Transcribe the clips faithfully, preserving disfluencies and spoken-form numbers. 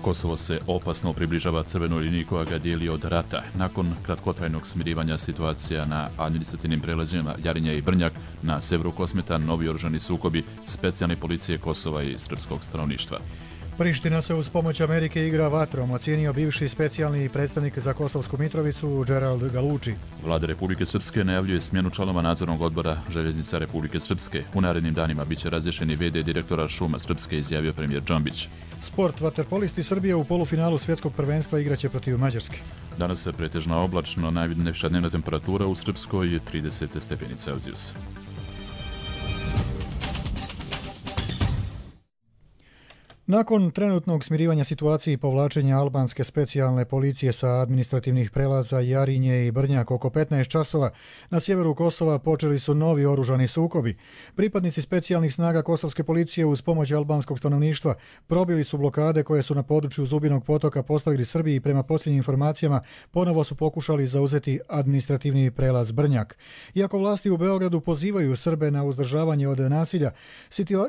Kosovo se opasno približava crvenoj liniji koja ga dijeli od rata. Nakon kratkotrajnog smirivanja situacija na administrativnim prelazima Jarinje i Brnjak, na severu Kosmeta novi oružani sukobi specijalne policije Kosova i srpskog stanovništva. Priština se uz pomoć Amerike igra vatrom, ocijenio bivši specijalni predstavnik za Kosovsku Mitrovicu Gerald Galucci. Vlada Republike Srpske najavljuje smjenu članova nadzornog odbora Željeznica Republike Srpske. U narednim danima biće razrješeni ve de direktora Šuma Srpske, izjavio premijer Džambić. Sport. Vaterpolisti Srbije u polufinalu svjetskog prvenstva igraće protiv Mađarske. Danas se pretežno oblačno, najviša dnevna temperatura u Srpskoj je trideset stepeni Celzijusa. Nakon trenutnog smirivanja situacije i povlačenja albanske specijalne policije sa administrativnih prelaza Jarinje i Brnjak oko petnaest časova, na sjeveru Kosova počeli su novi oružani sukobi. Pripadnici specijalnih snaga kosovske policije uz pomoć albanskog stanovništva probili su blokade koje su na području Zubinog potoka postavili Srbiji i prema posljednjim informacijama ponovo su pokušali zauzeti administrativni prelaz Brnjak. Iako vlasti u Beogradu pozivaju Srbe na uzdržavanje od nasilja,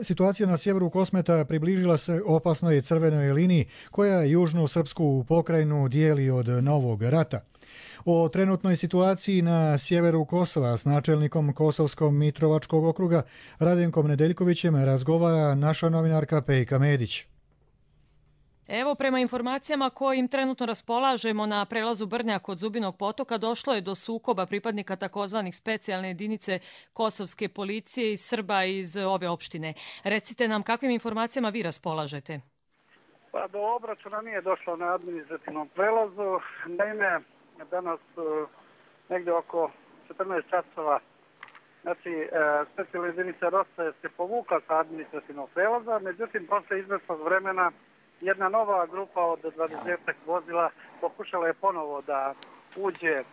situacija na sjeveru Kosmeta približila se opasnoj crvenoj liniji koja južnu srpsku pokrajinu dijeli od novog rata. O trenutnoj situaciji na sjeveru Kosova s načelnikom Kosovskog Mitrovačkog okruga Radenkom Nedeljkovićem razgovara naša novinarka Pejka Medić. Evo, prema informacijama kojim trenutno raspolažemo na prelazu Brnjak od Zubinog potoka došlo je do sukoba pripadnika takozvanih specijalne jedinice kosovske policije i Srba iz ove opštine. Recite nam kakvim informacijama vi raspolažete? Pa do obračuna nije došlo na administrativnom prelazu. Naime, danas negdje oko četrnaest časova znači specijalna jedinica Rosa se povukla sa administrativnog prelaza, međutim posle izvesnog vremena jedna nova grupa od dvadesetak vozila pokušala je ponovo da uđe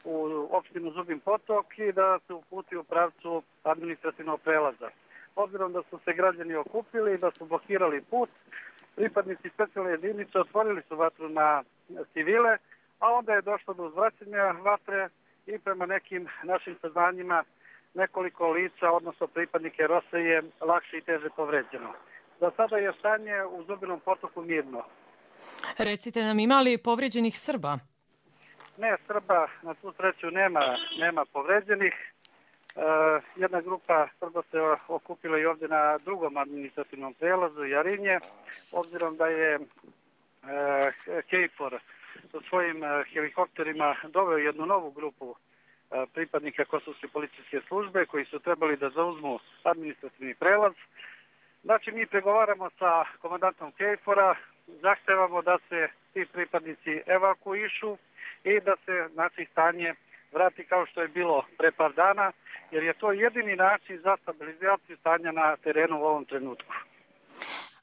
u opštinu Zubin potok i da se uputi u pravcu administrativnog prelaza. Obzirom da su se građani okupili i da su blokirali put, pripadnici specijalne jedinice otvorili su vatru na civile, a onda je došlo do uzvraćanja vatre i prema nekim našim saznanjima nekoliko lica, odnosno pripadnike Rose, je lakše i teže povređeno. Za sada je stanje u Zubinom potoku mirno. Recite nam, ima li povređenih Srba? Ne, Srba na tu sreću nema, nema povređenih. E, jedna grupa Srba se okupila i ovdje na drugom administrativnom prelazu Jarinje, obzirom da je e, KFOR sa svojim helikopterima doveo jednu novu grupu e, pripadnika Kosovske policijske službe koji su trebali da zauzmu administrativni prelaz. Znači, mi pregovaramo sa komandantom KFOR-a, zahtevamo da se ti pripadnici evakuišu i da se znači, stanje vrati kao što je bilo pre par dana, jer je to jedini način za stabilizaciju stanja na terenu u ovom trenutku.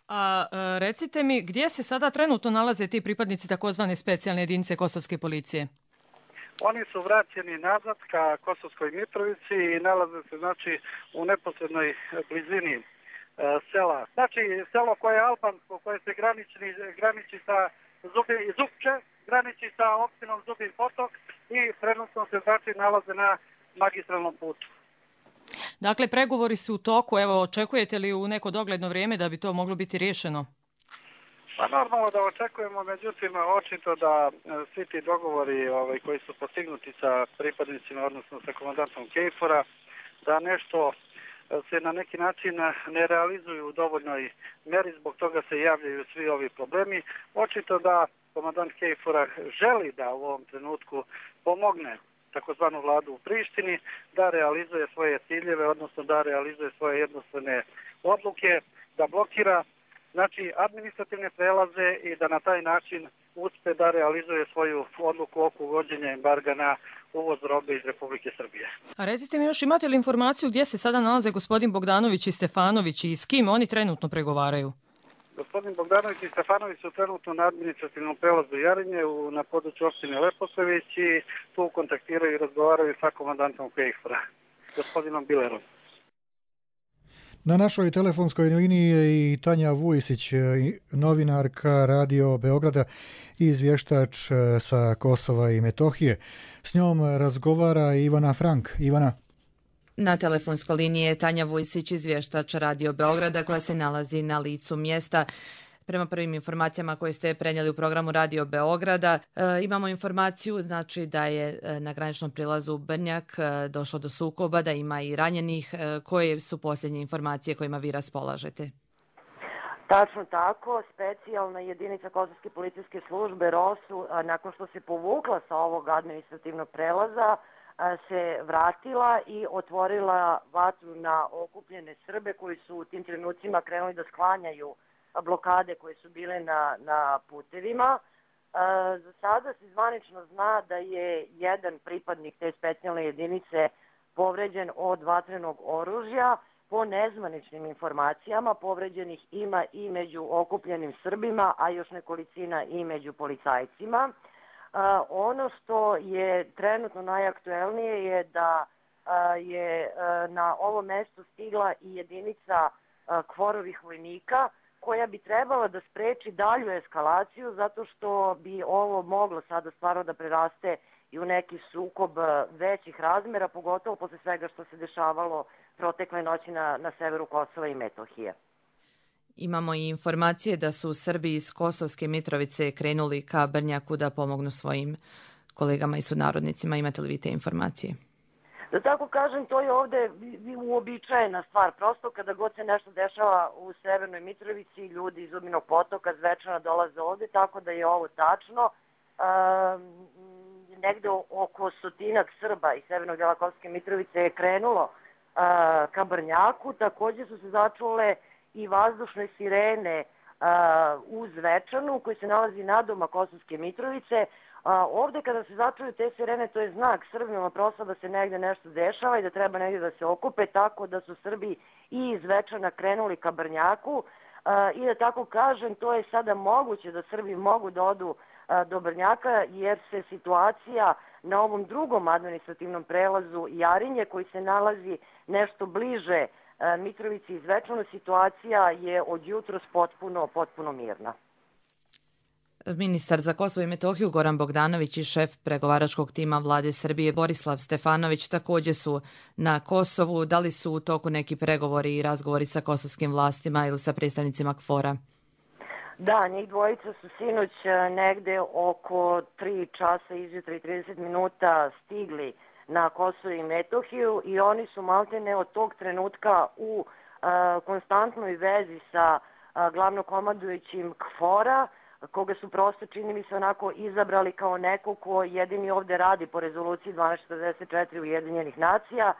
A recite mi, gdje se sada trenutno nalaze ti pripadnici takozvane specijalne jedinice Kosovske policije? Oni su vraćeni nazad ka Kosovskoj Mitrovici i nalaze se znači, u neposrednoj blizini sela. Znači, selo koje je albansko, koje se graniči, graniči sa Zubi, Zupče, graniči sa opštinom Zubin potok i trenutno se znači nalaze na magistralnom putu. Dakle, pregovori su u toku. Evo, očekujete li u neko dogledno vrijeme da bi to moglo biti riješeno? Pa normalno da očekujemo, međutim, očito da svi ti dogovori ovaj, koji su postignuti sa pripadnicima, odnosno sa komandantom KFOR-a, da nešto se na neki način ne realizuju u dovoljnoj meri, zbog toga se javljaju svi ovi problemi. Očito da komandant KFOR-a želi da u ovom trenutku pomogne takozvanu vladu u Prištini da realizuje svoje ciljeve, odnosno da realizuje svoje jednostavne odluke, da blokira znači administrativne prelaze i da na taj način uspe da realizuje svoju odluku oko uvođenja embarga na uvoz robe iz Republike Srbije. A recite mi još, imate li informaciju gdje se sada nalaze gospodin Bogdanović i Stefanović i s kim oni trenutno pregovaraju? Gospodin Bogdanović i Stefanović su trenutno na administrativnom prelazu Jarinje u, na području opštine Leposavić i tu kontaktiraju i razgovaraju sa komandantom KFOR-a, gospodinom Bilerom. Na našoj telefonskoj liniji je i Tanja Vujisić, novinarka Radio Beograda i izvještač sa Kosova i Metohije. S njom razgovara Ivana Frank. Ivana. Na telefonskoj liniji je Tanja Vujisić, izvještač Radio Beograda koja se nalazi na licu mjesta. Prema prvim informacijama koje ste prenijeli u programu Radio Beograda, e, imamo informaciju znači, da je e, na graničnom prilazu Brnjak e, došlo do sukoba, da ima i ranjenih. E, koje su posljednje informacije kojima vi raspolažete? Tačno tako, specijalna jedinica Kosovske policijske službe ROSU, nakon što se povukla sa ovog administrativnog prelaza, se vratila i otvorila vatru na okupljene Srbe koji su u tim trenucima krenuli da sklanjaju blokade koje su bile na, na putevima. Za sada se zvanično zna da je jedan pripadnik te specijalne jedinice povređen od vatrenog oružja. Po nezvaničnim informacijama povređenih ima i među okupljenim Srbima, a još nekolicina i među policajcima. Uh, ono što je trenutno najaktuelnije je da uh, je uh, na ovo mesto stigla i jedinica uh, kvorovih vojnika koja bi trebala da spreči dalju eskalaciju zato što bi ovo moglo sada stvarno da preraste i u neki sukob većih razmera, pogotovo posle svega što se dešavalo protekle noći na, na severu Kosova i Metohije. Imamo i informacije da su Srbi iz Kosovske Mitrovice krenuli ka Brnjaku da pomognu svojim kolegama i sunarodnicima. Imate li vi te informacije? Da tako kažem, to je ovde uobičajena stvar. Prosto kada god se nešto dešava u Severnoj Mitrovici, ljudi iz Zubinog Potoka zvečano dolaze ovde, tako da je ovo tačno. Um, negde oko stotinak Srba iz severnog dela Kosovske Mitrovice je krenulo uh, ka Brnjaku. Takođe su se začule i vazdušne sirene uh, u Zvečanu koji se nalazi nadoma Kosovske Mitrovice. Uh, ovde kada se začuju te sirene, to je znak Srbima prosto da se negde nešto dešava i da treba negde da se okupe, tako da su Srbi i iz Zvečana krenuli ka Brnjaku. Uh, I da tako kažem, to je sada moguće da Srbi mogu da odu uh, do Brnjaka jer se situacija na ovom drugom administrativnom prelazu Jarinje koji se nalazi nešto bliže Mitrovici i Zvečanu, situacija je od jutros potpuno, potpuno mirna. Ministar za Kosovo i Metohiju Goran Bogdanović i šef pregovaračkog tima Vlade Srbije Borislav Stefanović također su na Kosovu. Da li su u toku neki pregovori i razgovori sa kosovskim vlastima ili sa predstavnicima KFOR-a? Da, njih dvojica su sinoć negde oko tri časa izjutra i trideset minuta stigli na Kosovo i Metohiju i oni su maltene od tog trenutka u a, konstantnoj vezi sa a, glavnokomandujućim KFOR-a, koga su prosto, čini mi se, onako izabrali kao neko ko jedini ovde radi po rezoluciji dvanaest četrdeset četiri Ujedinjenih nacija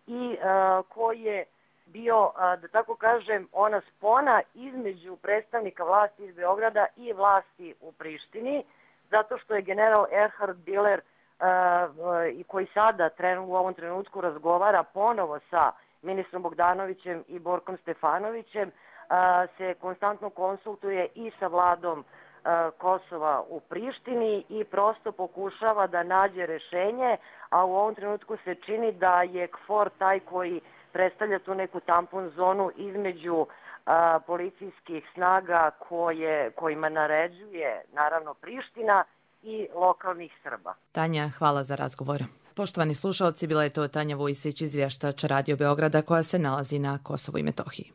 i a, koji je bio, a, da tako kažem, ona spona između predstavnika vlasti iz Beograda i vlasti u Prištini, zato što je general Erhard Biller i uh, koji sada trenu, u ovom trenutku razgovara ponovo sa ministrom Bogdanovićem i Borkom Stefanovićem, uh, se konstantno konsultuje i sa vladom uh, Kosova u Prištini i prosto pokušava da nađe rešenje, a u ovom trenutku se čini da je KFOR taj koji predstavlja tu neku tampon zonu između uh, policijskih snaga koje, kojima naređuje naravno Priština i lokalnih Srba. Tanja, hvala za razgovor. Poštovani slušalci, bila je to Tanja Vujsić, izvještač Radio Beograda koja se nalazi na Kosovu i Metohiji.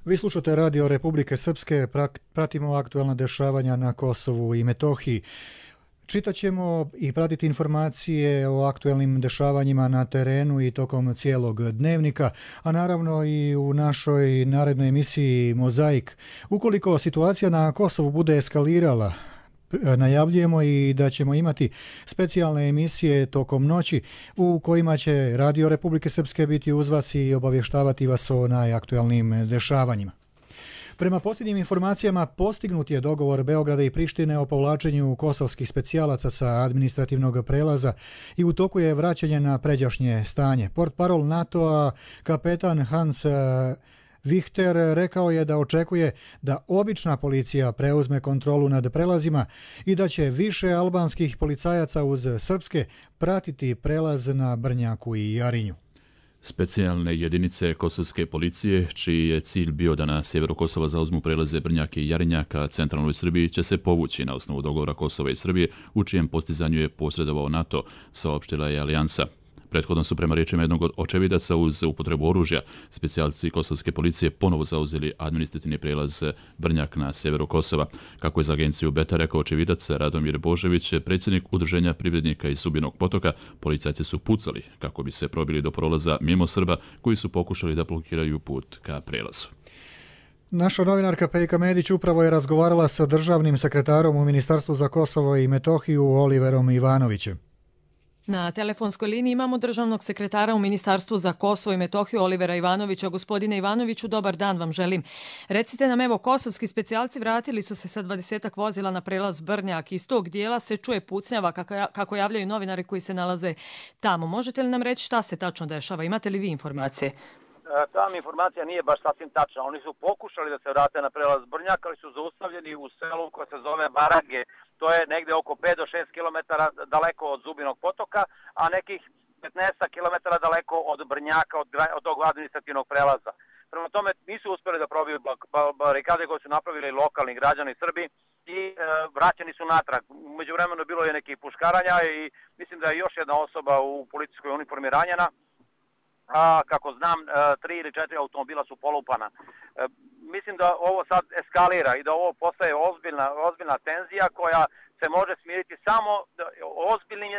Vi slušate Radio Republike Srpske, pratimo aktualna dešavanja na Kosovu i Metohiji. Čitaćemo i pratiti informacije o aktuelnim dešavanjima na terenu i tokom cijelog dnevnika, a naravno i u našoj narednoj emisiji Mozaik. Ukoliko situacija na Kosovu bude eskalirala, najavljujemo i da ćemo imati specijalne emisije tokom noći u kojima će Radio Republike Srpske biti uz vas i obavještavati vas o najaktualnijim dešavanjima. Prema posljednjim informacijama postignut je dogovor Beograda i Prištine o povlačenju kosovskih specijalaca sa administrativnog prelaza i u toku je vraćanje na pređašnje stanje. Portparol NATO-a kapetan Hans Vichter rekao je da očekuje da obična policija preuzme kontrolu nad prelazima i da će više albanskih policajaca uz srpske pratiti prelaz na Brnjaku i Jarinju. Specijalne jedinice kosovske policije, čiji je cilj bio da na sjeveru Kosova zauzmu prelaze Brnjak i Jarinja ka centralnoj Srbiji, će se povući na osnovu dogovora Kosova i Srbije, u čijem postizanju je posredovao NATO, saopštila je Alijansa. Prethodno su prema riječima jednog od očevidaca uz upotrebu oružja specijalci kosovske policije ponovo zauzeli administrativni prijelaz Brnjak na sjeveru Kosova. Kako je za agenciju Beta rekao očevidac Radomir Božević, predsjednik Udruženja privrednika iz Zubinog Potoka, policajci su pucali kako bi se probili do prolaza mimo Srba koji su pokušali da blokiraju put ka prelazu. Naša novinarka Pejka Medić upravo je razgovarala sa državnim sekretarom u Ministarstvu za Kosovo i Metohiju Oliverom Ivanovićem. Na telefonskoj liniji imamo državnog sekretara u Ministarstvu za Kosovo i Metohiju Olivera Ivanovića. Gospodine Ivanoviću, dobar dan vam želim. Recite nam, evo, kosovski specijalci vratili su se sa dvadesetak vozila na prelaz Brnjak. Iz tog dijela se čuje pucnjava kako javljaju novinari koji se nalaze tamo. Možete li nam reći šta se tačno dešava? Imate li vi informacije? Ta mi informacija nije baš sasvim tačna. Oni su pokušali da se vrate na prelaz Brnjak, ali su zaustavljeni u selu koje se zove Barage. To je negde oko pet do šest kilometara daleko od Zubinog Potoka, a nekih petnaest kilometara daleko od Brnjaka, od, od tog administrativnog prelaza. Prema tome nisu uspjeli da probiju barikade koje su napravili lokalni građani Srbi i e, vraćeni su natrag. Umeđu vremenu bilo je nekih puškaranja i mislim da je još jedna osoba u policijskoj uniformi ranjena. A, kako znam, tri ili četiri automobila su polupana. E, mislim da ovo sad eskalira i da ovo postaje ozbiljna, ozbiljna tenzija koja se može smiriti samo ozbiljnim,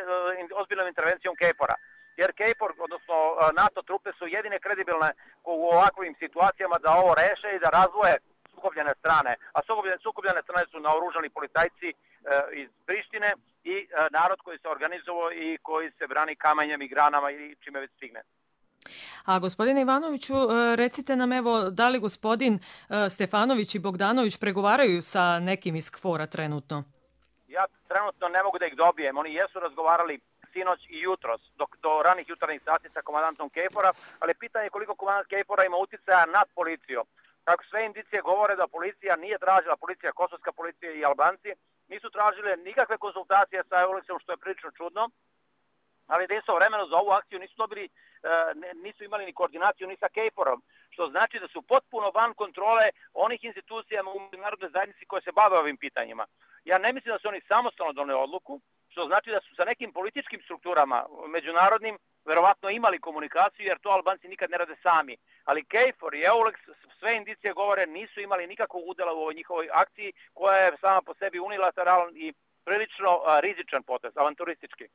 ozbiljnom intervencijom KFOR-a. Jer KFOR, odnosno NATO trupe su jedine kredibilne u ovakvim situacijama da ovo reše i da razvoje sukobljene strane. A sukobljene, sukobljene strane su naoružani policajci e, iz Prištine i e, narod koji se organizovao i koji se brani kamenjem i granama i čime već stigne. A gospodine Ivanoviću, recite nam, evo, da li gospodin Stefanović i Bogdanović pregovaraju sa nekim iz KFOR-a trenutno? Ja trenutno ne mogu da ih dobijem. Oni jesu razgovarali sinoć i jutros, dok do ranih jutarnjih sati sa komandantom KFOR-a, ali pitanje je koliko komandant KFOR-a ima uticaja nad policijom. Kako sve indicije govore da policija nije tražila, policija, kosovska policija i Albanci, nisu tražile nikakve konsultacije sa Euliksom, što je prilično čudno, ali da istovremeno za ovu akciju nisu dobili, nisu imali ni koordinaciju ni sa KFOR-om, što znači da su potpuno van kontrole onih institucija u međunarodnoj zajednici koje se bave ovim pitanjima. Ja ne mislim da su oni samostalno doneli odluku, što znači da su sa nekim političkim strukturama međunarodnim verovatno imali komunikaciju, jer to Albanci nikad ne rade sami. Ali KFOR i Eulex, sve indicije govore, nisu imali nikakvog udjela u ovoj njihovoj akciji, koja je sama po sebi unilateralan i prilično rizičan potez, avanturistički.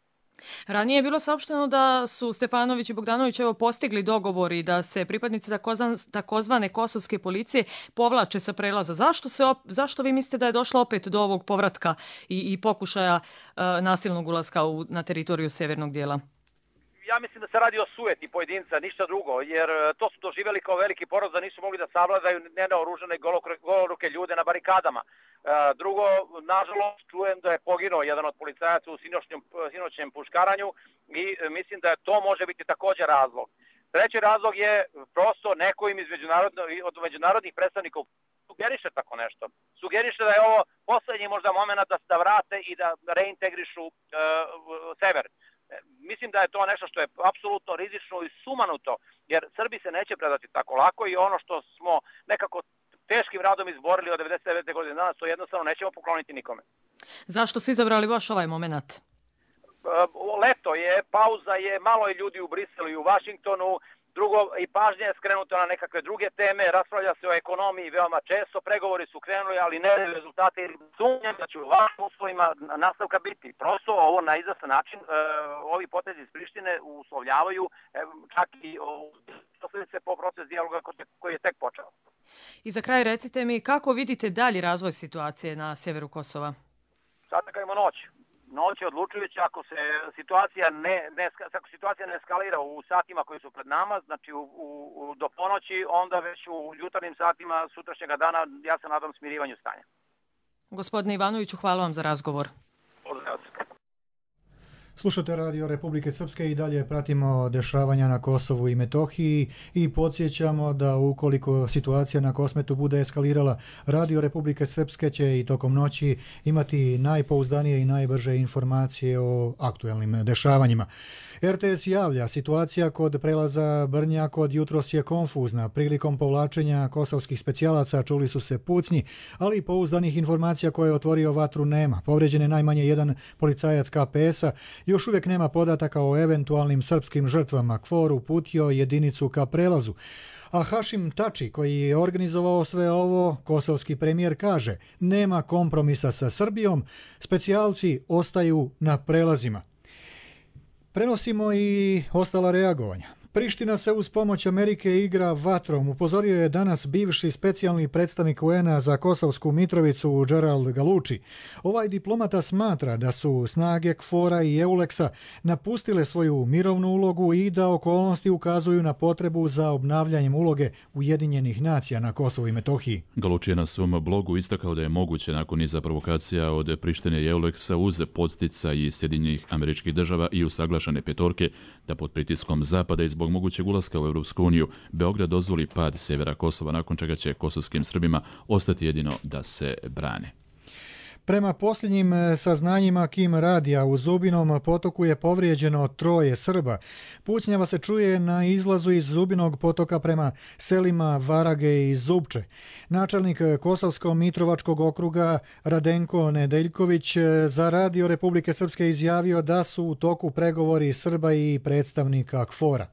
Ranije je bilo saopšteno da su Stefanović i Bogdanović evo postigli dogovor i da se pripadnici takozvane kosovske policije povlače sa prelaza. Zašto, se op, zašto vi mislite da je došlo opet do ovog povratka i, i pokušaja uh, nasilnog ulaska u, na teritoriju severnog dijela? Ja mislim da se radi o sujeti pojedinca, ništa drugo, jer to su doživjeli kao veliki poraz da nisu mogli da savladaju nenaoružane goloruke ljude na barikadama. Drugo, nažalost, čujem da je poginuo jedan od policajaca u sinoćnjem, sinoćnjem puškaranju i mislim da to može biti također razlog. Treći razlog je prosto neko im iz međunarodno, od međunarodnih predstavnika sugeriše tako nešto. Sugeriše da je ovo posljednji možda moment da se da vrate i da reintegrišu uh, sever. Mislim da je to nešto što je apsolutno rizično i sumanuto, jer Srbi se neće predati tako lako i ono što smo nekako teškim radom izborili od devedeset devete godine danas, to jednostavno nećemo pokloniti nikome. Zašto su izabrali baš ovaj moment? Leto je, pauza je, malo je ljudi u Briselu i u Vašingtonu, drugo i pažnja je skrenuta na nekakve druge teme, raspravlja se o ekonomiji veoma često, pregovori su krenuli, ali ne rezultate, sumnjam da će u vašim uslovima nastavka biti. Prosto ovo na izastan način, e, ovi potezi iz Prištine uslovljavaju e, čak i posljedice po proces dijaloga koji je tek počeo. I za kraj recite mi, kako vidite dalji razvoj situacije na sjeveru Kosova? Sad čekajmo noć. Noć je odlučujuća ako se situacija ne, ne, ako situacija ne eskalira u satima koji su pred nama, znači u, u, do ponoći, onda već u jutarnjim satima sutrašnjega dana ja se nadam smirivanju stanja. Gospodine Ivanoviću, hvala vam za razgovor. Pozdrav. Slušate Radio Republike Srpske i dalje pratimo dešavanja na Kosovu i Metohiji i podsjećamo da ukoliko situacija na Kosmetu bude eskalirala, Radio Republike Srpske će i tokom noći imati najpouzdanije i najbrže informacije o aktuelnim dešavanjima. R T S javlja, situacija kod prelaza Brnjak od jutros je konfuzna. Prilikom povlačenja kosovskih specijalaca čuli su se pucnji, ali i pouzdanih informacija koje je otvorio vatru nema. Povređen je najmanje jedan policajac K P S-a Još uvijek nema podataka o eventualnim srpskim žrtvama. KFOR uputio jedinicu ka prelazu. A Hašim Tači, koji je organizovao sve ovo, kosovski premijer kaže, nema kompromisa sa Srbijom, specijalci ostaju na prelazima. Prenosimo i ostala reagovanja. Priština se uz pomoć Amerike igra vatrom, upozorio je danas bivši specijalni predstavnik U N A za Kosovsku Mitrovicu Gerald Galucci. Ovaj diplomata smatra da su snage KFOR-a i EULEX-a napustile svoju mirovnu ulogu i da okolnosti ukazuju na potrebu za obnavljanjem uloge Ujedinjenih nacija na Kosovu i Metohiji. Galucci je na svom blogu istakao da je moguće nakon niza provokacija od Prištine i EULEX-a uz podstica i Sjedinjenih Američkih Država i usaglašene petorke da pod pritiskom Zapada iz zbog mogućeg ulaska u Europsku uniju, Beograd dozvoli pad sjevera Kosova, nakon čega će kosovskim Srbima ostati jedino da se brane. Prema posljednjim saznanjima Kim radija u Zubinom potoku je povrijeđeno troje Srba. Pucnjava se čuje na izlazu iz Zubinog potoka prema selima Varage i Zubče. Načelnik Kosovsko-Mitrovačkog okruga Radenko Nedeljković za radio Republike Srpske izjavio da su u toku pregovori Srba i predstavnika KFOR-a.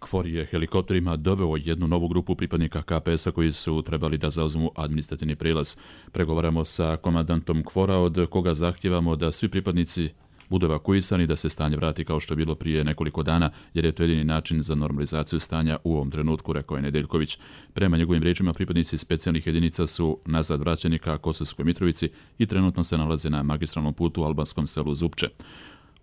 KFOR je helikopterima doveo jednu novu grupu pripadnika K P S-a koji su trebali da zauzmu administrativni prijelaz. Pregovaramo sa komandantom KFOR-a od koga zahtijevamo da svi pripadnici budu evakuisani, da se stanje vrati kao što je bilo prije nekoliko dana, jer je to jedini način za normalizaciju stanja u ovom trenutku, rekao je Nedeljković. Prema njegovim riječima, pripadnici specijalnih jedinica su nazad vraćeni ka Kosovskoj Mitrovici i trenutno se nalaze na magistralnom putu u albanskom selu Zupče.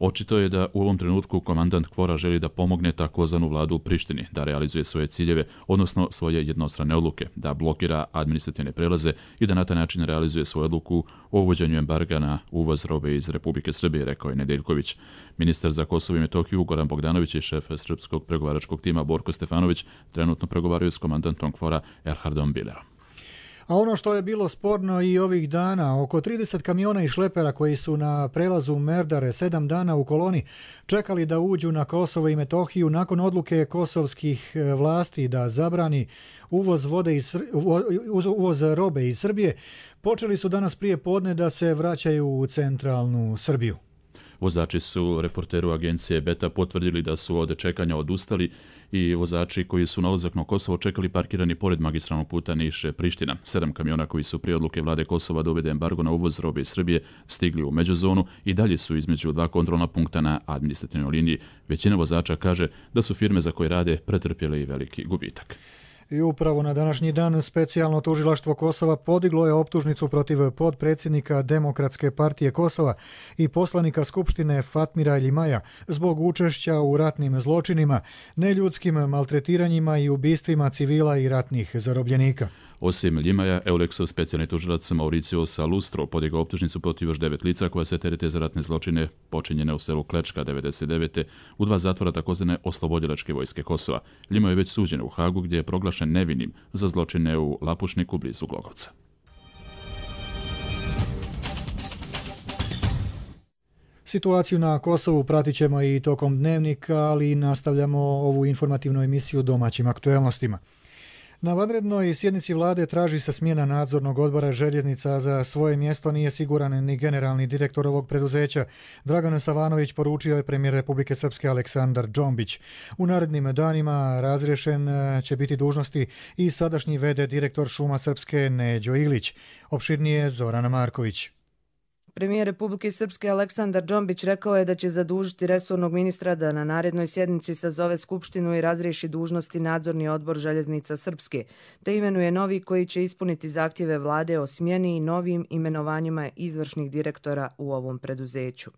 Očito je da u ovom trenutku komandant KFOR-a želi da pomogne takozvanu vladu u Prištini, da realizuje svoje ciljeve, odnosno svoje jednostrane odluke, da blokira administrativne prelaze i da na taj način realizuje svoju odluku o uvođenju embarga na uvoz robe iz Republike Srbije, rekao je Nedeljković. Ministar za Kosovo i Metohiju Goran Bogdanović i šef srpskog pregovaračkog tima Borko Stefanović trenutno pregovaraju s komandantom KFOR-a Erhardom Bilerom. A ono što je bilo sporno i ovih dana, oko trideset kamiona i šlepera koji su na prelazu Merdare sedam dana u koloni čekali da uđu na Kosovo i Metohiju nakon odluke kosovskih vlasti da zabrani uvoz, vode iz, uvoz robe iz Srbije, počeli su danas prije podne da se vraćaju u centralnu Srbiju. Vozači su reporteru agencije Beta potvrdili da su od čekanja odustali i vozači koji su na ulazak na Kosovo čekali parkirani pored magistralnog puta Niš-Priština. Sedam kamiona koji su prije odluke vlade Kosova da uvede embargo na uvoz robe iz Srbije stigli u međuzonu i dalje su između dva kontrolna punkta na administrativnoj liniji. Većina vozača kaže da su firme za koje rade pretrpjele i veliki gubitak. I upravo na današnji dan specijalno tužilaštvo Kosova podiglo je optužnicu protiv podpredsjednika Demokratske partije Kosova i poslanika Skupštine Fatmira Ljimaja zbog učešća u ratnim zločinima, neljudskim maltretiranjima i ubistvima civila i ratnih zarobljenika. Osim Ljimaja, EULEX-ov specijalni tužilac Mauricio Salustro podigao optužnicu protiv još devet lica koja se terete za ratne zločine počinjene u selu Klečka devedeset devete u dva zatvora takozvane oslobodilačke vojske Kosova. Ljima je već suđen u Hagu gdje je proglašen nevinim za zločine u Lapušniku blizu Glogovca. Situaciju na Kosovu pratit ćemo i tokom dnevnika, ali nastavljamo ovu informativnu emisiju domaćim aktuelnostima. Na vanrednoj sjednici vlade traži se smjena nadzornog odbora željeznica. Za svoje mjesto nije siguran ni generalni direktor ovog preduzeća. Dragan Savanović poručio je premijer Republike Srpske Aleksandar Džombić. U narednim danima razriješen će biti dužnosti i sadašnji ve de direktor Šuma Srpske Neđo Ilić. Opširnije Zorana Marković. Premijer Republike Srpske Aleksandar Džombić rekao je da će zadužiti resornog ministra da na narednoj sjednici sazove skupštinu i razriješi dužnosti nadzorni odbor željeznica Srpske, te imenuje novi koji će ispuniti zahtjeve vlade o smjeni i novim imenovanjima izvršnih direktora u ovom preduzeću.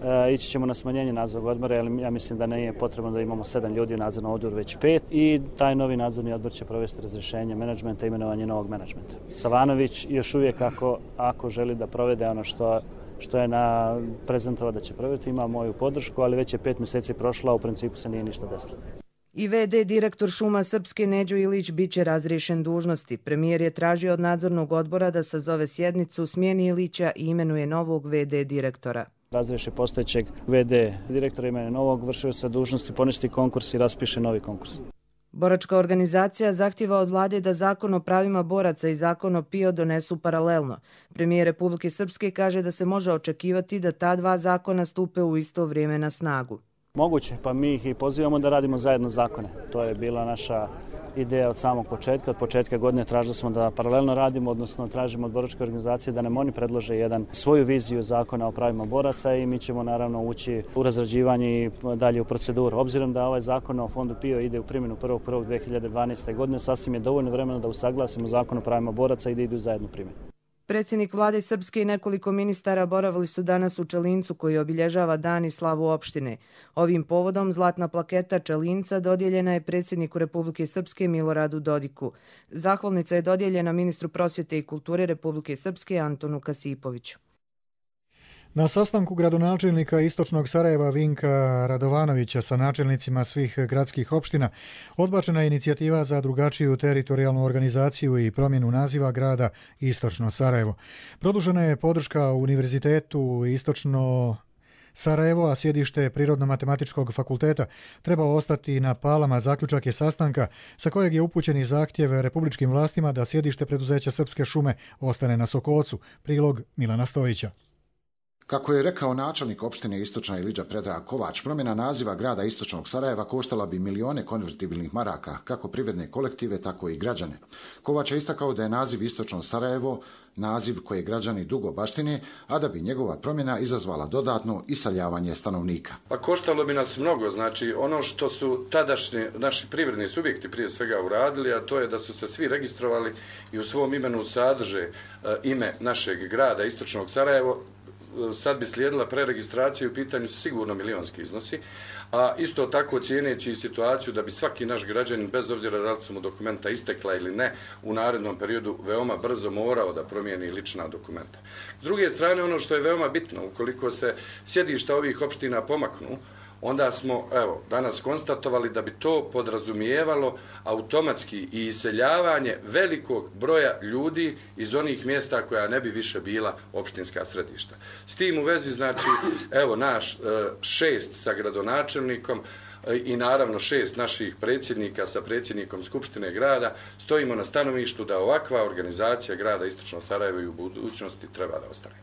E, ići ćemo na smanjenje nadzornog odbora, jer ja mislim da nije potrebno da imamo sedam ljudi u nadzornom odboru, već pet, i taj novi nadzorni odbor će provesti razrješenje menadžmenta i imenovanje novog menadžmenta. Savanović još uvijek ako, ako želi da provede ono što, što je na prezentovao da će provesti, ima moju podršku, ali već je pet mjeseci prošlo, a u principu se nije ništa desilo. I ve de direktor Šuma Srpske Neđo Ilić bit će razriješen dužnosti. Premijer je tražio od nadzornog odbora da sazove sjednicu, smijeni Ilića i imenuje novog ve de direktora. Razriješi postojećeg ve de direktora, imenuje novog, vršio se dužnosti, poništi konkurs i raspiše novi konkurs. Boračka organizacija zahtjeva od vlade da zakon o pravima boraca i zakon o P I O donesu paralelno. Premijer Republike Srpske kaže da se može očekivati da ta dva zakona stupe u isto vrijeme na snagu. Moguće, pa mi ih i pozivamo da radimo zajedno zakone. To je bila naša ideja od samog početka. Od početka godine tražili smo da paralelno radimo, odnosno tražimo od boračke organizacije da nam oni predlože jedan svoju viziju zakona o pravima boraca i mi ćemo naravno ući u razrađivanje i dalje u proceduru. Obzirom da ovaj zakon o fondu P I O ide u primjenu prvog prvog dve hiljade dvanaeste. godine, sasvim je dovoljno vremena da usaglasimo zakon o pravima boraca i da idu u zajednu primjenu. Predsjednik vlade Srpske i nekoliko ministara boravili su danas u Čelincu koji obilježava dan i slavu opštine. Ovim povodom zlatna plaketa Čelinca dodijeljena je predsjedniku Republike Srpske Miloradu Dodiku. Zahvalnica je dodijeljena ministru prosvjete i kulture Republike Srpske Antonu Kasipoviću. Na sastanku gradonačelnika Istočnog Sarajeva Vinka Radovanovića sa načelnicima svih gradskih opština odbačena je inicijativa za drugačiju teritorijalnu organizaciju i promjenu naziva grada Istočno Sarajevo. Produžena je podrška Univerzitetu Istočno Sarajevo, a sjedište Prirodno-matematičkog fakulteta treba ostati na Palama. Zaključak je sastanka sa kojeg je upućen i zahtjev republičkim vlastima da sjedište preduzeća Srpske šume ostane na Sokocu. Prilog Milana Stojića. Kako je rekao načelnik opštine Istočna Ilidža Predrag Kovač, promjena naziva grada Istočnog Sarajeva koštala bi milione konvertibilnih maraka, kako privredne kolektive, tako i građane. Kovač je istakao da je naziv Istočno Sarajevo naziv koje građani dugo baštine, a da bi njegova promjena izazvala dodatno iseljavanje stanovnika. Pa koštalo bi nas mnogo, znači ono što su tadašnji naši privredni subjekti prije svega uradili, a to je da su se svi registrovali i u svom imenu sadrže e, ime našeg grada Istočnog Sarajevo. Sad bi slijedila preregistracija, u pitanju su sigurno milionski iznosi, a isto tako cijeneći situaciju da bi svaki naš građanin, bez obzira da li su mu dokumenta istekla ili ne, u narednom periodu veoma brzo morao da promijeni lična dokumenta. S druge strane, ono što je veoma bitno, ukoliko se sjedišta ovih opština pomaknu, onda smo, evo, danas konstatovali da bi to podrazumijevalo automatski i iseljavanje velikog broja ljudi iz onih mjesta koja ne bi više bila opštinska središta. S tim u vezi, znači, evo, naš šest sa gradonačelnikom i naravno šest naših predsjednika sa predsjednikom Skupštine grada stojimo na stanovištu da ovakva organizacija grada Istočno Sarajevo i u budućnosti treba da ostane.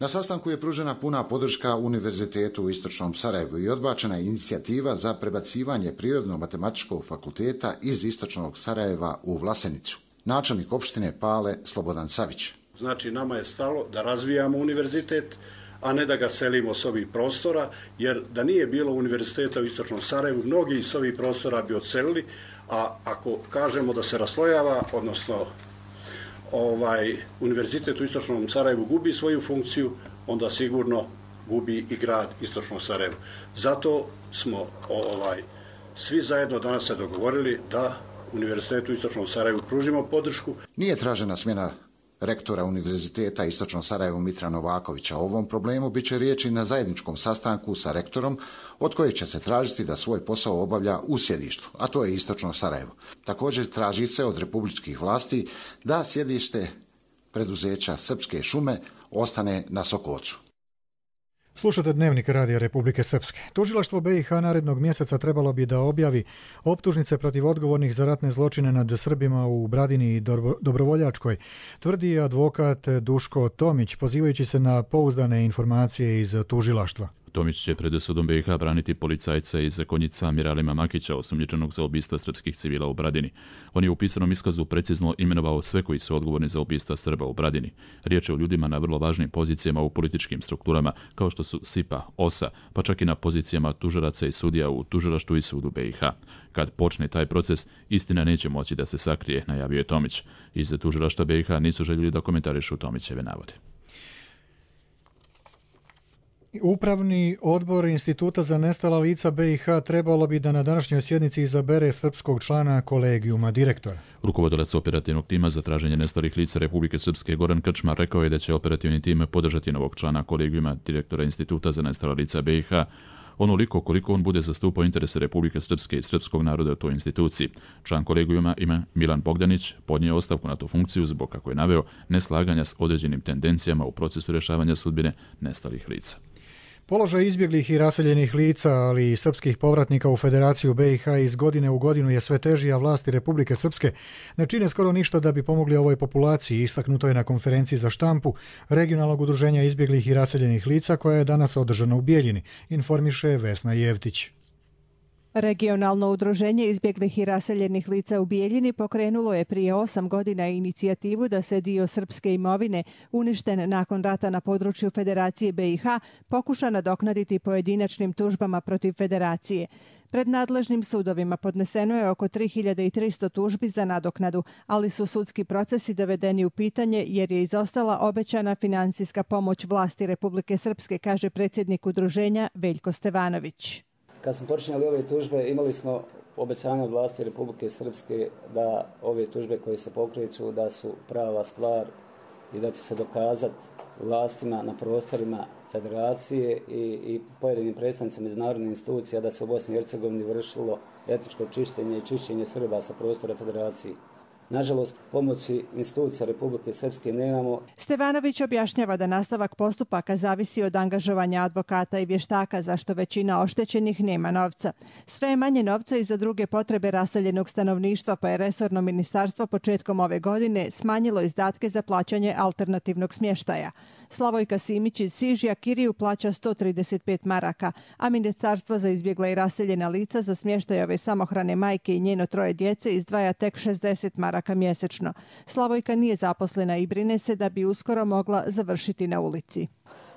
Na sastanku je pružena puna podrška Univerzitetu u Istočnom Sarajevu i odbačena inicijativa za prebacivanje Prirodno-matematičkog fakulteta iz Istočnog Sarajeva u Vlasenicu. Načelnik opštine Pale Slobodan Savić. Znači, nama je stalo da razvijamo univerzitet, a ne da ga selimo s ovih prostora, jer da nije bilo univerziteta u Istočnom Sarajevu, mnogi s ovih prostora bi odselili, a ako kažemo da se raslojava, odnosno ovaj univerzitet u Istočnom Sarajevu gubi svoju funkciju, onda sigurno gubi i grad Istočno Sarajevo. Zato smo ovaj svi zajedno danas se dogovorili da univerzitetu u Istočnom Sarajevu pružimo podršku. Nije tražena smjena rektora Univerziteta Istočno Sarajevo Mitra Novakovića. O ovom problemu bit će riječi na zajedničkom sastanku sa rektorom, od kojeg će se tražiti da svoj posao obavlja u sjedištu, a to je Istočno Sarajevo. Također traži se od republičkih vlasti da sjedište preduzeća Srpske šume ostane na Sokocu. Slušate Dnevnik Radija Republike Srpske. Tužilaštvo B i H narednog mjeseca trebalo bi da objavi optužnice protiv odgovornih za ratne zločine nad Srbima u Bradini i Dobrovoljačkoj, tvrdi advokat Duško Tomić, pozivajući se na pouzdane informacije iz tužilaštva. Tomić će pred sudom B i H braniti policajca iz Konjica Miralima Makića, osumnjičenog za ubistva srpskih civila u Bradini. On je u pisanom iskazu precizno imenovao sve koji su odgovorni za ubistva Srba u Bradini. Riječ je o ljudima na vrlo važnim pozicijama u političkim strukturama, kao što su S I P A, O S A, pa čak i na pozicijama tužaraca i sudija u tužilaštvu i sudu B i H. Kad počne taj proces, istina neće moći da se sakrije, najavio je Tomić. Iz tužilaštva B i H nisu željeli da komentarišu Tomićeve navode. Upravni odbor Instituta za nestala lica B i H trebalo bi da na današnjoj sjednici izabere srpskog člana kolegijuma direktora. Rukovodilac operativnog tima za traženje nestalih lica Republike Srpske Goran Krčmar rekao je da će operativni tim podržati novog člana kolegijuma direktora Instituta za nestala lica B i H onoliko koliko on bude zastupao interese Republike Srpske i srpskog naroda u toj instituciji. Član kolegijuma ima Milan Bogdanić podnio ostavku na tu funkciju zbog, kako je naveo, neslaganja s određenim tendencijama u procesu rješavanja sudbine nestalih lica. Položaj izbjeglih i raseljenih lica, ali i srpskih povratnika u Federaciju B i H iz godine u godinu je sve teži, a vlasti Republike Srpske ne čine skoro ništa da bi pomogli ovoj populaciji, istaknuto je na konferenciji za štampu Regionalnog udruženja izbjeglih i raseljenih lica koja je danas održana u Bijeljini, informiše Vesna Jevtić. Regionalno udruženje izbjeglih i raseljenih lica u Bijeljini pokrenulo je prije osam godina inicijativu da se dio srpske imovine uništen nakon rata na području Federacije B i H pokuša nadoknaditi pojedinačnim tužbama protiv Federacije. Pred nadležnim sudovima podneseno je oko tri hiljade tristo tužbi za nadoknadu, ali su sudski procesi dovedeni u pitanje jer je izostala obećana finansijska pomoć vlasti Republike Srpske, kaže predsjednik udruženja Veljko Stevanović. Kad smo počinjali ove tužbe, imali smo obećanje od vlasti Republike Srpske da ove tužbe koje se pokreću da su prava stvar i da će se dokazati vlastima na prostorima Federacije i, i pojedinim predstavnicima međunarodnih institucija da se u Bosni i Hercegovini vršilo etničko čišćenje i čišćenje Srba sa prostora Federacije. Nažalost, pomoći institucija Republike Srpske nemamo. Stevanović objašnjava da nastavak postupaka zavisi od angažovanja advokata i vještaka, zašto većina oštećenih nema novca. Sve je manje novca i za druge potrebe raseljenog stanovništva, pa je resorno ministarstvo početkom ove godine smanjilo izdatke za plaćanje alternativnog smještaja. Slavojka Simić iz Sižija kiriju plaća sto trideset pet maraka, a Ministarstvo za izbjegla i raseljena lica za smještaj ove samohrane majke i njeno troje djece izdvaja tek šezdeset maraka mjesečno. Slavojka nije zaposlena i brine se da bi uskoro mogla završiti na ulici.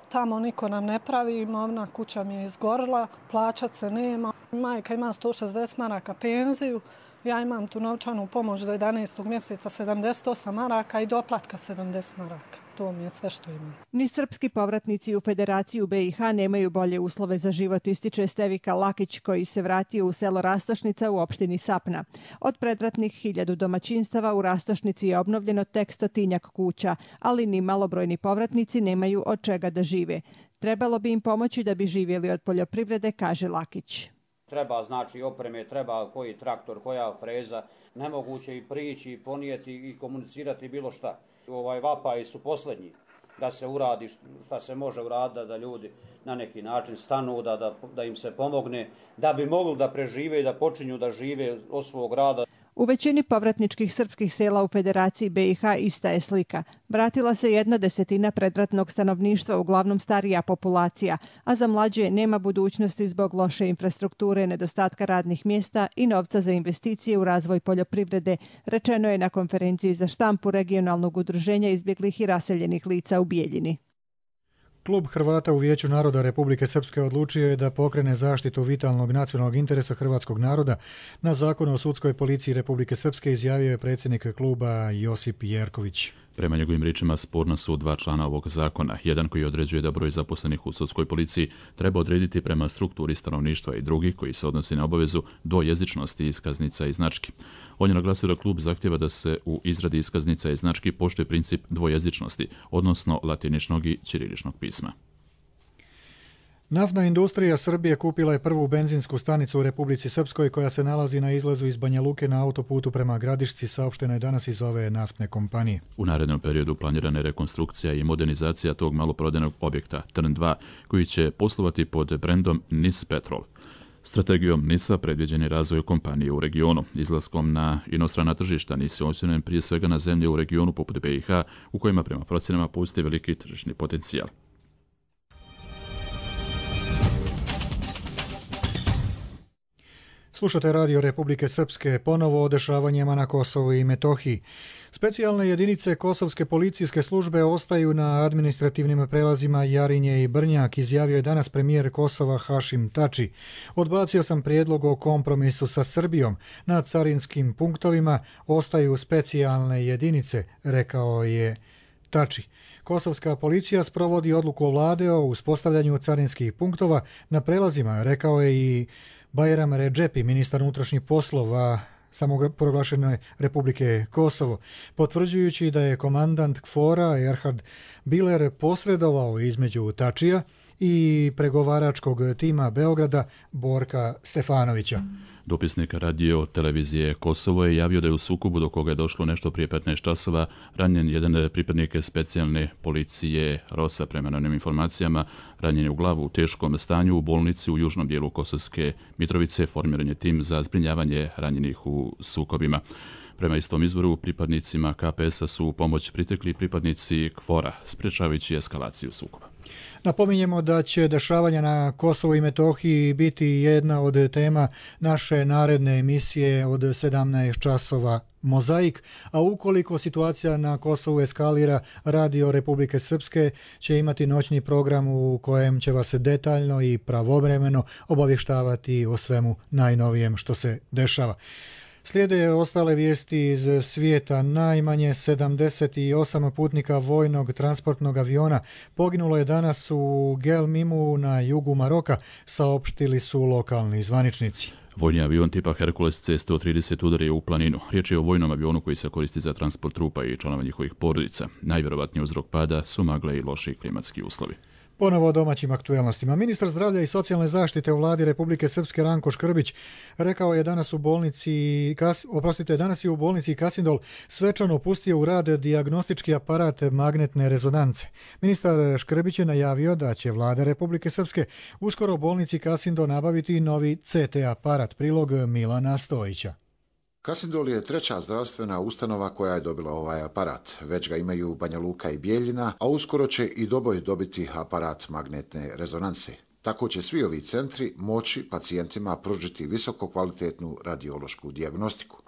Tamo niko nam ne pravi, imovna kuća mi je izgorila, plaćat se nema. Majka ima sto šezdeset maraka penziju, ja imam tu novčanu pomoć do jedanaestog mjeseca sedamdeset osam maraka i doplatka sedamdeset maraka. To mi je sve što imam. Ni srpski povratnici u Federaciju B i H nemaju bolje uslove za život, ističe Stevika Lakić, koji se vratio u selo Rastošnica u opštini Sapna. Od predratnih hiljadu domaćinstava u Rastošnici je obnovljeno tek stotinjak kuća, ali ni malobrojni povratnici nemaju od čega da žive. Trebalo bi im pomoći da bi živjeli od poljoprivrede, kaže Lakić. Treba znači opreme, treba koji traktor, koja freza, nemoguće i prići, i ponijeti i komunicirati bilo šta. Ovaj vapaji su posljednji da se uradi šta se može uraditi, da ljudi na neki način stanu, da, da, da im se pomogne, da bi mogli da prežive i da počinju da žive od svog rada. U većini povratničkih srpskih sela u Federaciji B i H ista je slika. Vratila se jedna desetina predratnog stanovništva, uglavnom starija populacija, a za mlađe nema budućnosti zbog loše infrastrukture, nedostatka radnih mjesta i novca za investicije u razvoj poljoprivrede, rečeno je na konferenciji za štampu Regionalnog udruženja izbjeglih i raseljenih lica u Bijeljini. Klub Hrvata u Vijeću naroda Republike Srpske odlučio je da pokrene zaštitu vitalnog nacionalnog interesa hrvatskog naroda na Zakon o sudskoj policiji Republike Srpske, izjavio je predsjednik kluba Josip Jerković. Prema njegovim riječima sporna su dva člana ovog zakona. Jedan koji određuje da broj zaposlenih u sudskoj policiji treba odrediti prema strukturi stanovništva i drugi koji se odnosi na obavezu dvojezičnosti iskaznica i znački. On je naglasio da klub zahtjeva da se u izradi iskaznica i znački poštuje princip dvojezičnosti, odnosno latiničnog i ćiriličnog pisma. Naftna industrija Srbije kupila je prvu benzinsku stanicu u Republici Srpskoj koja se nalazi na izlazu iz Banja Luke na autoputu prema Gradišci, saopšteno je danas iz ove naftne kompanije. U narednom periodu planirana je rekonstrukcija i modernizacija tog maloprodajnog objekta Trn dva, koji će poslovati pod brendom Nis Petrol. Strategijom Nisa predviđen je razvoj kompanije u regionu. Izlaskom na inostrana tržišta Nis je osnovljen prije svega na zemlje u regionu poput B i H, u kojima prema procjenama postoji veliki tržišni potencijal. Slušate Radio Republike Srpske, ponovo o dešavanjima na Kosovu i Metohiji. Specijalne jedinice Kosovske policijske službe ostaju na administrativnim prelazima Jarinje i Brnjak, izjavio je danas premijer Kosova Hašim Tači. Odbacio sam prijedlog o kompromisu sa Srbijom. Na carinskim punktovima ostaju specijalne jedinice, rekao je Tači. Kosovska policija sprovodi odluku vlade o uspostavljanju carinskih punktova na prelazima, rekao je i Bajram Redžepi, ministar unutrašnjih poslova samoproglašene Republike Kosovo, potvrđujući da je komandant KFOR-a Erhard Biler posredovao između Tačija i pregovaračkog tima Beograda Borka Stefanovića. Dopisnik radio televizije Kosovo je javio da je u sukobu do koga je došlo nešto prije petnaest časova ranjen jedan pripadnik specijalne policije Rosa. Prema novim informacijama, ranjen je u glavu u teškom stanju u bolnici u južnom dijelu Kosovske Mitrovice. Formiran je tim za zbrinjavanje ranjenih u sukobima. Prema istom izvoru, pripadnicima K P S-a su u pomoć pritekli pripadnici KFOR-a, sprečavajući eskalaciju sukoba. Napominjemo da će dešavanja na Kosovu i Metohiji biti jedna od tema naše naredne emisije od sedamnaest časova Mozaik, a ukoliko situacija na Kosovu eskalira, Radio Republike Srpske će imati noćni program u kojem će vas detaljno i pravovremeno obavještavati o svemu najnovijem što se dešava. Slijede ostale vijesti iz svijeta. Najmanje sedamdeset osam putnika vojnog transportnog aviona poginulo je danas u Gelmimu na jugu Maroka, saopštili su lokalni zvaničnici. Vojni avion tipa Hercules C sto trideset udario u planinu. Riječ je o vojnom avionu koji se koristi za transport trupa i članova njihovih porodica. Najvjerovatniji uzrok pada su magle i loši klimatski uslovi. Ponovo o domaćim aktuelnostima. Ministar zdravlja i socijalne zaštite u vladi Republike Srpske Ranko Škrbić rekao je danas u bolnici, oprostite, danas je u bolnici Kasindol svečano pustio u rad dijagnostički aparat magnetne rezonance. Ministar Škrbić je najavio da će vlada Republike Srpske uskoro u bolnici Kasindol nabaviti novi C T aparat. Prilog Milana Stojića. Kasindol je treća zdravstvena ustanova koja je dobila ovaj aparat. Već ga imaju Banja Luka i Bijeljina, a uskoro će i Doboj dobiti aparat magnetne rezonanse. Tako će svi ovi centri moći pacijentima pružiti visoko kvalitetnu radiološku dijagnostiku.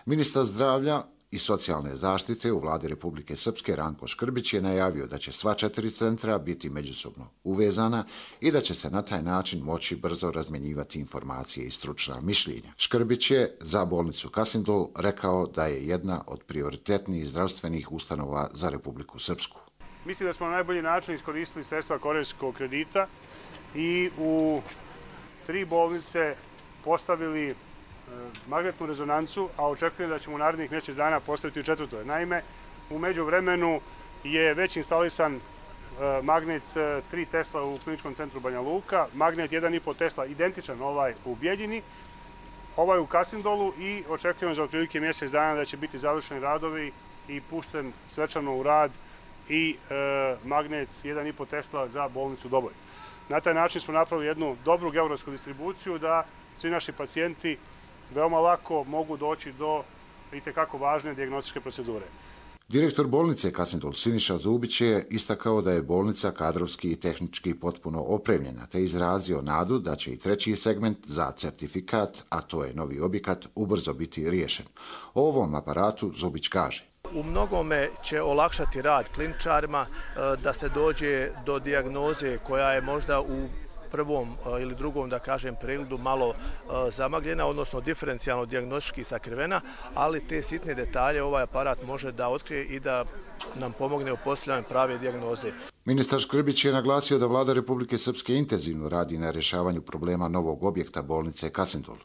Ministar zdravlja i socijalne zaštite u vladi Republike Srpske Ranko Škrbić je najavio da će sva četiri centra biti međusobno uvezana i da će se na taj način moći brzo razmjenjivati informacije i stručna mišljenja. Škrbić je za bolnicu Kasindol rekao da je jedna od prioritetnijih zdravstvenih ustanova za Republiku Srpsku. Mislim da smo na najbolji način iskoristili sredstva korejskog kredita i u tri bolnice postavili magnetnu rezonancu, a očekujem da ćemo u narednih mjesec dana postaviti u četvrtoj. Naime, u međuvremenu je već instalisan magnet tri Tesla u kliničkom centru Banja Luka, magnet jedan i po Tesla identičan ovaj u Bijeljini, ovaj u Kasindolu i očekujem za otprilike mjesec dana da će biti završeni radovi i pušten svečano u rad i e, magnet jedan i po Tesla za bolnicu Doboj. Na taj način smo napravili jednu dobru geografsku distribuciju da svi naši pacijenti veoma lako mogu doći do itekako važne dijagnostičke procedure. Direktor bolnice Kasindol Siniša Zubić je istakao da je bolnica kadrovski i tehnički potpuno opremljena, te izrazio nadu da će i treći segment za certifikat, a to je novi objekat, ubrzo biti riješen. O ovom aparatu Zubić kaže: U mnogome će olakšati rad kliničarima da se dođe do dijagnoze koja je možda u prvom ili drugom, da kažem, pregledu malo zamagljena, odnosno diferencijalno dijagnostički sakrivena, ali te sitne detalje ovaj aparat može da otkrije i da nam pomogne u postavljanju prave dijagnoze. Ministar Škrbić je naglasio da vlada Republike Srpske intenzivno radi na rješavanju problema novog objekta bolnice Kasindol.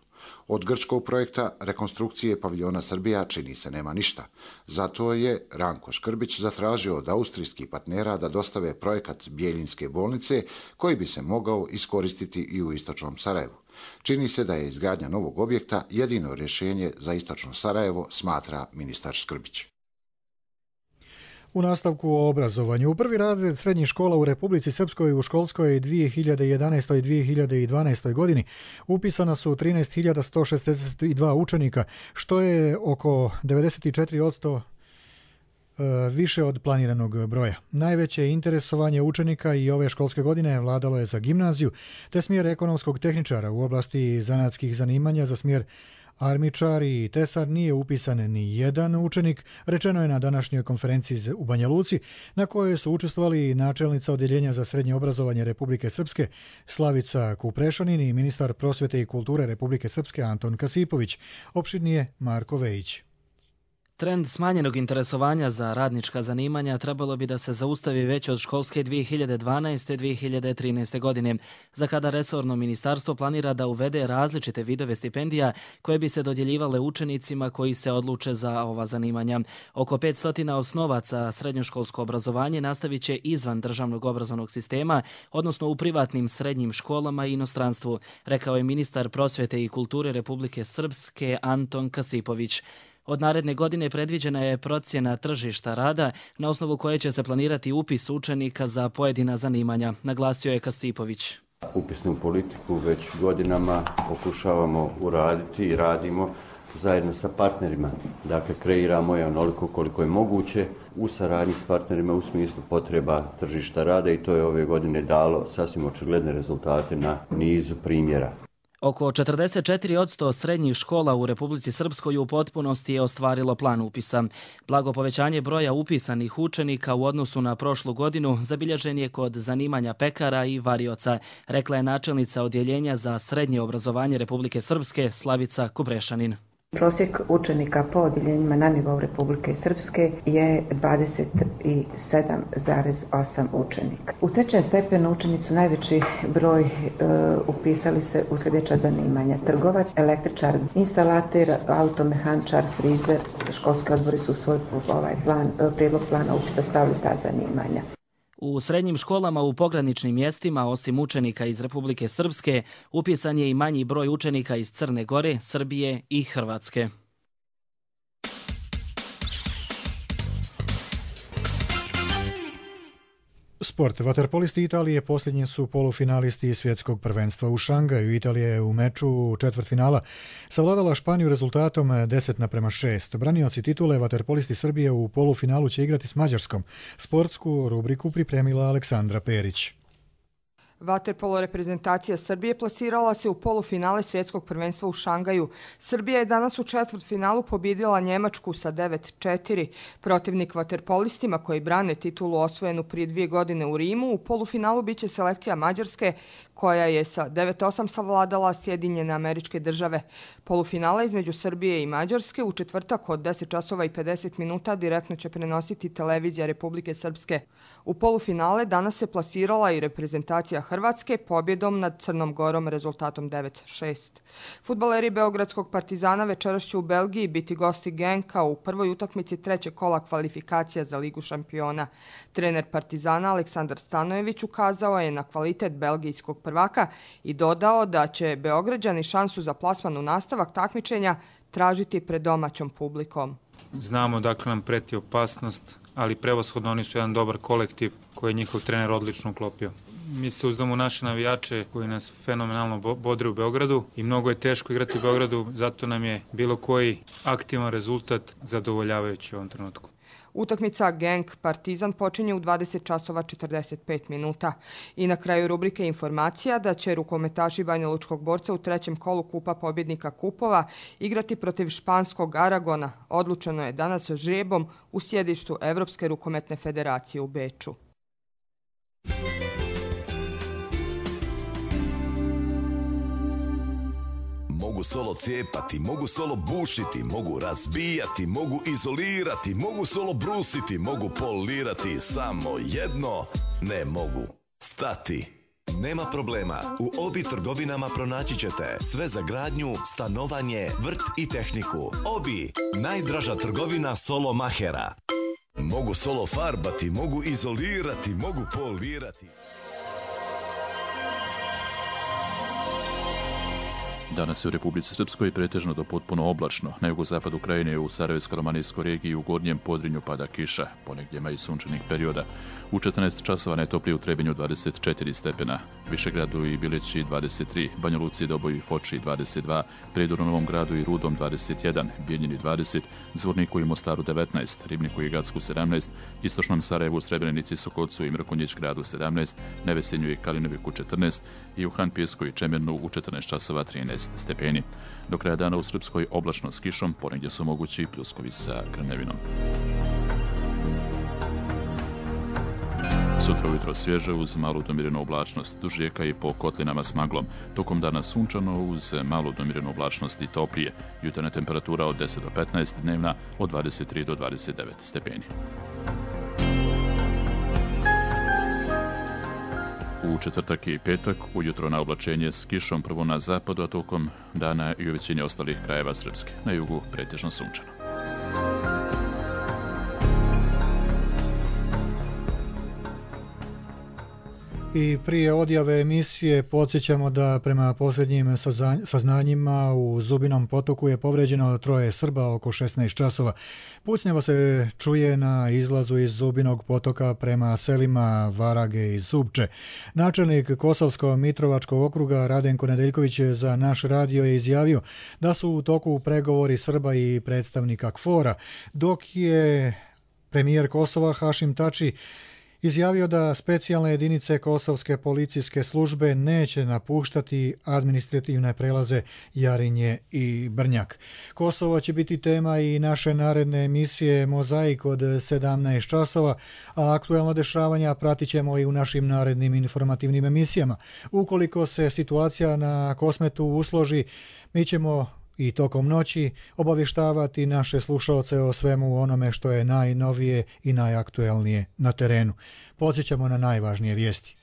Od grčkog projekta rekonstrukcije paviljona Srbija čini se nema ništa. Zato je Ranko Škrbić zatražio od austrijskih partnera da dostave projekat Bijeljinske bolnice koji bi se mogao iskoristiti i u istočnom Sarajevu. Čini se da je izgradnja novog objekta jedino rješenje za istočno Sarajevo, smatra ministar Škrbić. U nastavku o obrazovanju. U prvi razred srednjih škola u Republici Srpskoj u školskoj dvije hiljade jedanaestoj i dvije hiljade dvanaestoj godini upisana su trinaest hiljada sto šezdeset dva učenika, što je oko devedeset četiri posto više od planiranog broja. Najveće interesovanje učenika i ove školske godine vladalo je za gimnaziju, te smjer ekonomskog tehničara. U oblasti zanatskih zanimanja za smjer armičar i tesar nije upisan ni jedan učenik, rečeno je na današnjoj konferenciji u Banja Luci, na kojoj su učestvovali načelnica Odjeljenja za srednje obrazovanje Republike Srpske Slavica Kuprešanin i ministar prosvjete i kulture Republike Srpske Anton Kasipović. Opširnije Marko Vejić. Trend smanjenog interesovanja za radnička zanimanja trebalo bi da se zaustavi već od školske dvije hiljade dvanaeste dvije hiljade trinaeste. godine, za kada resorno ministarstvo planira da uvede različite vidove stipendija koje bi se dodjeljivale učenicima koji se odluče za ova zanimanja. Oko petsto osnovaca srednjoškolsko obrazovanje nastavit će izvan državnog obrazovnog sistema, odnosno u privatnim srednjim školama i inostranstvu, rekao je ministar prosvjete i kulture Republike Srpske Anton Kasipović. Od naredne godine predviđena je procjena tržišta rada na osnovu koje će se planirati upis učenika za pojedina zanimanja, naglasio je Kasipović. Upisnu politiku već godinama pokušavamo uraditi i radimo zajedno sa partnerima. Dakle, kreiramo je onoliko koliko je moguće u saradnji s partnerima u smislu potreba tržišta rada i to je ove godine dalo sasvim očigledne rezultate na nizu primjera. Oko četrdeset četiri posto srednjih škola u Republici Srpskoj u potpunosti je ostvarilo plan upisa. Blago povećanje broja upisanih učenika u odnosu na prošlu godinu zabilježen je kod zanimanja pekara i varioca, rekla je načelnica Odjeljenja za srednje obrazovanje Republike Srpske Slavica Kuprešanin. Prosjek učenika po odjeljenjima na nivou Republike Srpske je dvadeset sedam zarez osam učenika. U trećem stepenu učenicu najveći broj e, upisali se u sljedeća zanimanja: trgovac, električar, instalater, automehančar, frizer. Školski odbori su u svoj ovaj plan, prijedlog plana upisa stavili ta zanimanja. U srednjim školama u pograničnim mjestima, osim učenika iz Republike Srpske, upisan je i manji broj učenika iz Crne Gore, Srbije i Hrvatske. Sport. Vaterpolisti Italije posljednji su polufinalisti svjetskog prvenstva u Šangaju. Italija je u meču četvrtfinala savladala Španiju rezultatom deset naprema šest. Branioci titule vaterpolisti Srbije u polufinalu će igrati s Mađarskom. Sportsku rubriku pripremila Aleksandra Perić. Vaterpolo reprezentacija Srbije plasirala se u polufinale svjetskog prvenstva u Šangaju. Srbija je danas u četvrtfinalu pobjedila Njemačku sa devet četiri. Protivnik vaterpolistima koji brane titulu osvojenu prije dvije godine u Rimu, u polufinalu biće selekcija Mađarske koja je sa devet osam savladala Sjedinjene Američke Države. Polufinale između Srbije i Mađarske u četvrtak od deset časova i pedeset minuta direktno će prenositi televizija Republike Srpske. U polufinale danas se plasirala i reprezentacija Hrvatske pobjedom nad Crnom Gorom rezultatom devet šest. Fudbaleri Beogradskog Partizana večeras će u Belgiji biti gosti Genka u prvoj utakmici trećeg kola kvalifikacija za Ligu šampiona. Trener Partizana Aleksandar Stanojević ukazao je na kvalitet belgijskog prvaka i dodao da će Beograđani šansu za plasman u nastavak takmičenja tražiti pred domaćom publikom. Znamo dakle nam preti opasnost, ali prevashodno oni su jedan dobar kolektiv koji je njihov trener odlično uklopio. Mi se uzdamo u naše navijače koji nas fenomenalno bodre u Beogradu i mnogo je teško igrati u Beogradu, zato nam je bilo koji aktivan rezultat zadovoljavajući u ovom trenutku. Utakmica Genk Partizan počinje u dvadeset časova četrdeset pet minuta. I na kraju rubrike informacija da će rukometaši Banja Lučkog Borca u trećem kolu Kupa pobjednika kupova igrati protiv španskog Aragona. Odlučeno je danas žrebom u sjedištu Evropske rukometne federacije u Beču. Mogu solo cijepati, mogu solo bušiti, mogu razbijati, mogu izolirati, mogu solo brusiti, mogu polirati, samo jedno ne mogu stati. Nema problema, u Obi trgovinama pronaći ćete sve za gradnju, stanovanje, vrt i tehniku. Obi, najdraža trgovina solo mahera. Mogu solo farbati, mogu izolirati, mogu polirati. Danas je u Republici Srpskoj pretežno do potpuno oblačno. Na jugozapadu krajine u Sarajevsko-romanijskoj regiji u gornjem Podrinju pada kiša, ponegdje ima i sunčanih perioda. U četrnaest časova najtoplije u Trebinju dvadeset četiri stepena, Višegradu i Bileći dvadeset tri, Banja Luci, Doboju i Foči dvadeset dva, Prijedoru, Novom Gradu i Rudom dvadeset jedan, Bijeljini dvadeset, Zvorniku i Mostaru devetnaest, Ribniku i Gacku sedamnaest, Istočnom Sarajevu, Srebrenici, Sokolcu i Mrkonjić gradu sedamnaest, Nevesenju i Kalinoviku četrnaest i u Hanpijesku i Čemernu u četrnaest časova trinaest stepeni. Do kraja dana u Srpskoj oblačno s kišom, ponegdje su mogući pljuskovi sa grmljavinom. Sutra ujutro svježe uz malu domirenu oblačnost, duž rijeka i po kotlinama s maglom. Tokom dana sunčano uz malu domirenu oblačnost i toplije. Jutarnja temperatura od deset do petnaest, dnevna od dvadeset tri do dvadeset devet stepeni. U četvrtak i petak ujutro na oblačenje s kišom prvo na zapadu, a tokom dana i u većini ostalih krajeva Srpske. Na jugu pretežno sunčano. I prije odjave emisije podsjećamo da prema posljednjim saznanjima u Zubinom potoku je povređeno troje Srba oko šesnaest časova. Pucnjevo se čuje na izlazu iz Zubinog potoka prema selima Varage i Zubče. Načelnik Kosovsko-Mitrovačkog okruga Radenko Nedeljković za naš radio je izjavio da su u toku pregovori Srba i predstavnika KFOR-a, dok je premijer Kosova Hašim Tači izjavio da specijalne jedinice Kosovske policijske službe neće napuštati administrativne prelaze Jarinje i Brnjak. Kosovo će biti tema i naše naredne emisije Mozaik od sedamnaest časova, a aktuelno dešavanja pratit ćemo i u našim narednim informativnim emisijama. Ukoliko se situacija na Kosmetu usloži, mi ćemo i tokom noći obavještavati naše slušaoce o svemu onome što je najnovije i najaktuelnije na terenu. Podsjećamo na najvažnije vijesti.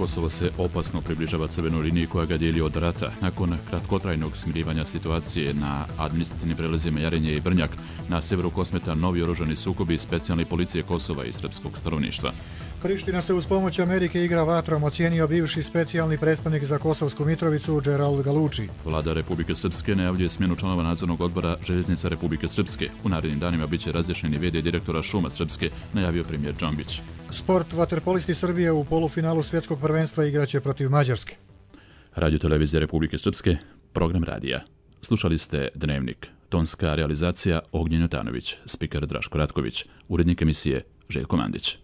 Kosovo se opasno približava crvenoj liniji koja ga dijeli od rata. Nakon kratkotrajnog smirivanja situacije na administrativnim prelazima Jarinje i Brnjak, na severu Kosmeta novi oružani sukobi specijalne policije Kosova i srpskog stanovništva. Priština se uz pomoć Amerike igra vatrom, ocijenio bivši specijalni predstavnik za Kosovsku Mitrovicu Gerald Galuči. Vlada Republike Srpske najavljuje smjenu članova nadzornog odbora Željeznica Republike Srpske. U narednim danima biće razrješeni v d direktora Šuma Srpske, najavio premijer Džambić. Sport, vaterpolisti Srbije u polufinalu svjetskog prvenstva igraće protiv Mađarske. Radio televizija Republike Srpske, program radija. Slušali ste Dnevnik. Tonska realizacija Ognjen Jotanović, spiker Draško Ratković, urednik emisije Željko Mandić.